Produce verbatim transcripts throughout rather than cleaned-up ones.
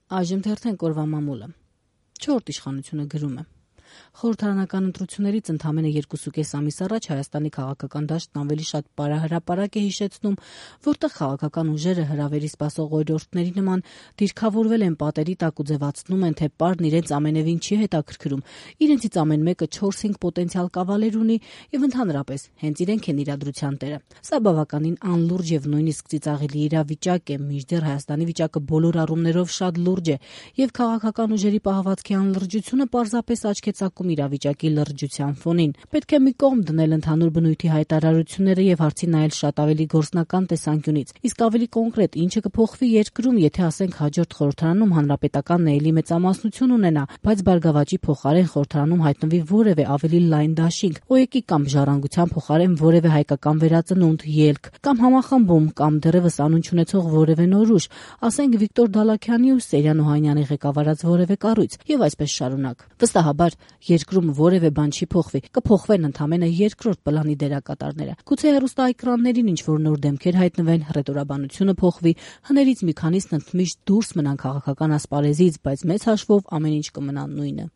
Այժմ թերթենք օրվա մամուլը։ Չորրորդ իշխանությունը գրում է. Խորհրդարանական ընտրություններից ընդամենը երկուսուկես ամիս առաջ Հայաստանի քաղաքական դաշտն ավելի շատ պարահրապարակ է հիշեցնում, որտեղ քաղաքական ուժերը հրավերի սպասող օրիորդների նման դիրքավորվել են պատերի տակ ու ձևացնում են, թե պարն իրենց ամենևին չի հետաքրքրում, իրենցից ամեն մեկը չորս-հինգ պոտենցիալ կավալեր ունի եւ ընդհանրապես հենց իրենք են իրադրության տերը։ Սա բավականին անլուրջ եւ նույնիսկ ծիծաղելի իրավիճակ է, մինչդեռ Հայաստանի վիճակը բոլոր առումներով շատ լուրջ է եւ քաղաքական ուժերի պահվածքի անլրջությունը պարզապես աչք է ցակում իրավիճակի լրջության ֆոնին։ Պետք է մի կողմ դնել ընդհանուր բնույթի հայտարարությունները եւ հարցին նայել շատ ավելի գործնական տեսանկյունից։ Իսկ ավելի կոնկրետ, ինչը կփոխվի երկրում, եթե ասենք հաջորդ խորհրդարանում հանրապետականն էլի մեծամասնություն ունենա, բայց Բարգավաճի փոխարեն խորհրդարանում հայտնվի որևէ ավելի լայն դաշինք, օեկի կամ ժառանգության փոխարեն որևէ հայկական վերածնունդ, ելք, կամ համախմբում, կամ դեռևս անուն չունեցող որևէ նոր ուժ, ասենք Վիկտոր Դալաքյանի ու Սերյան Օհանյանի ղեկավարած որևէ կառույց, եւ այսպես շարունակ։ Վստահաբար երկրում որևէ բան չի փոխվի, կփոխվեն ընդամենը երկրորդ պլանի դերակատարները։ Գուցե հեռուստաէկրաններին ինչ-որ նոր դեմքեր հայտնվեն, հռետորաբանությունը փոխվի, հներից մի քանիսն ընդմիշտ դուրս մնան քաղաքական ասպարեզից, բայց մեծ հաշվով ամեն ինչ կմնա նույնը։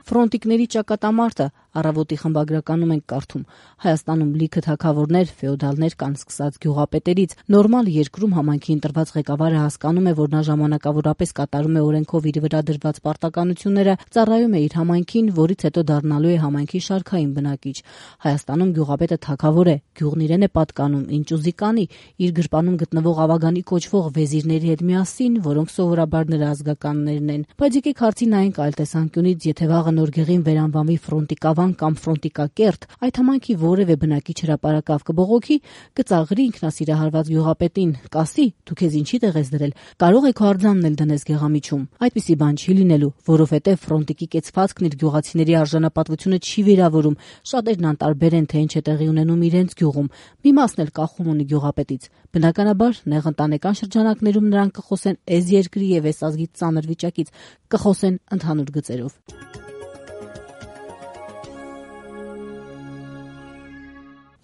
Ֆրոնտիկների ճակատամարտը առավոտի խմբագրականում ենք կարդում. Հայաստանում լիքը թագավորներ, ֆեոդալներ կան սկսած գյուղապետերից։ Նորմալ երկրում համայնքի ընտրված ղեկավարը հասկանում է, որ նա ժամանակավորապես կատարում է օրենքով իր վրա դրված պարտականությունները, ծառայում է իր համայնքին, որից հետո դառնալու է համայնքի շարքային բնակիչ։ Հայաստանում գյուղապետը թագավոր է, գյուղն իրեն է պատկանում, ինչ ուզի կանի, իր գրպանում գտնվող ավագանի կոչվող վեզիրների հետ միասին, որոնք սովորաբար նրա ազգականներն են։ Բայց եկեք հարցին նայենք այլ տեսանկյունից, եթե վաղը նոր գեղին վերանվանվի ֆրոնտիկավան կամ ֆրոնտիկակերտ, այդ համայնքի որևէ բնակիչ հրապարակավ կբողոքի, կծաղրի ինքնասիրահարված գյուղապետին, կասի՝ դու քեզ ինչի տեղ ես դրել, կարող է քո արձանն էլ դնես գեղամիջում։ Այդպիսի բան չի լինելու, որովհետև ֆրոնտիկի կեցվածքն իր գյուղացիների արժանապատվությունը չի վիրավորում, շատերն անտարբեր են, թե ինչ է տեղի ունենում իրենց գյուղում, մի մասն էլ կախում ունի գյուղապետից։ Բնականաբար, նեղընտանեկան շրջանակներում նրանք կխոսեն էս երկրի եւ էս ազգի ծանր վիճակից, կխոսեն ընդհանուր գծերով։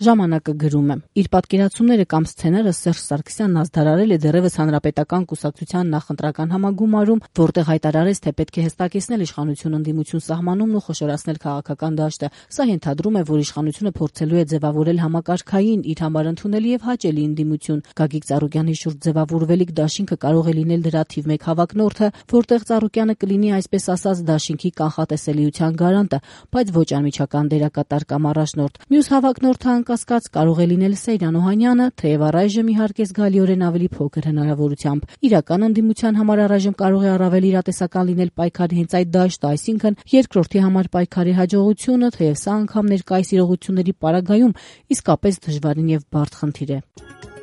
Ժամանակը գրում է. իր պատկերացումները կամ սցենարը Սերժ Սարգսյանն ազդարարել է դեռևս Հանրապետական կուսակցության նախընտրական համագումարում, որտեղ հայտարարեց, թե պետք է հստակեցնել իշխանություն-ընդդիմություն սահմանումն ու խոշորացնել քաղաքական դաշտը։ Սա ենթադրում է, որ իշխանությունը փորձելու է ձևավորել համակարգային, իր համար ընդունելի եւ հաճելի ընդդիմություն։ Գագիկ Ծառուկյանի շուրջ ձևավորվելիք դաշինքը կարող է լինել դրա թիվ մեկ հավակնորդը, որտեղ Ծառուկյանը կլինի այսպես ասած դաշինքի կանխատեսելիության գարանտը, բայց ոչ անմիջական դերակատար կամ առաջնորդ։ Մյուս հավակնորդը անկասկած կարող է լինել Սերյան Օհանյանը, թեև առայժմ իհարկե զգալիորեն ավելի փոքր հնարավորությամբ։ Իրական ընդդիմության համար առայժմ կարող է առավել իրատեսական լինել պայքարի հենց այդ դաշտը, այսինքն երկրորդի համար պայքարի հաջողությունը, թեև սա անգամ ներկայիս իրողությունների պարագայում իսկապես դժվարին եւ բարդ խնդիր է։